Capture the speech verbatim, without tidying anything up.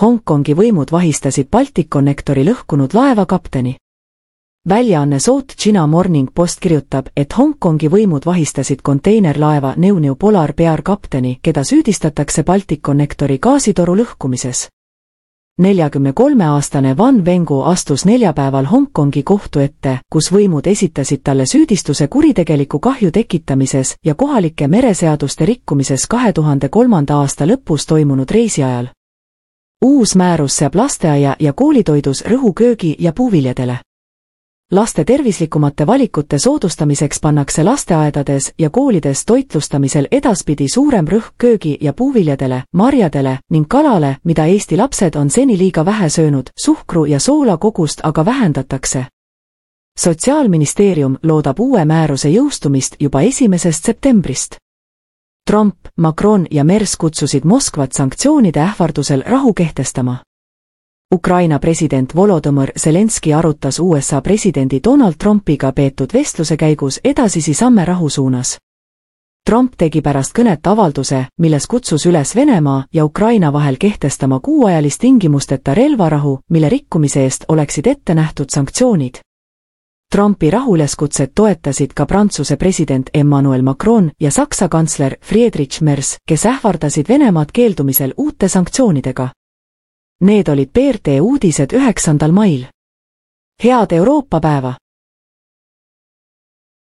Hongkongi võimud vahistasid Balticconnectori lõhkunud laeva kapteni. Väljaanne South China Morning Post kirjutab, et Hongkongi võimud vahistasid konteinerlaeva New New Polar Bear kapteni, keda süüdistatakse Balticconnectori gaasitoru lõhkumises. neljakümne kolme aastane Van Wengu astus neljapäeval Hongkongi kohtu ette, kus võimud esitasid talle süüdistuse kuritegeliku kahju tekitamises ja kohalike mereseaduste rikkumises kahe tuhande kolmanda aasta lõpus toimunud reisi ajal. Uus määrus seab lasteaia ja koolitoidus rõhu köögi ja puuviljadele. Laste tervislikumate valikute soodustamiseks pannakse lasteaedades ja koolides toitlustamisel edaspidi suurem rõhk köögi ja puuviljadele, marjadele ning kalale, mida Eesti lapsed on seni liiga vähe söönud, suhkru ja soola kogust aga vähendatakse. Sotsiaalministeerium loodab uue määruse jõustumist juba esimesest septembrist. Trump, Macron ja Merz kutsusid Moskvat sanktsioonide ähvardusel rahu kehtestama. Ukraina president Volodõmõr Zelenski arutas U S A presidendi Donald Trumpiga peetud vestluse käigus edasisi samme rahu suunas. Trump tegi pärast kõnet avalduse, milles kutsus üles Venemaa ja Ukraina vahel kehtestama kuuajalist tingimusteta relvarahu, mille rikkumise eest oleksid ette nähtud sanktsioonid. Trumpi rahuleskutset toetasid ka Prantsuse president Emmanuel Macron ja Saksa kantsler Friedrich Merz, kes ähvardasid Venemaad keeldumisel uute sanktsioonidega. Need olid B R T uudised üheksandal mail. Head Euroopa päeva!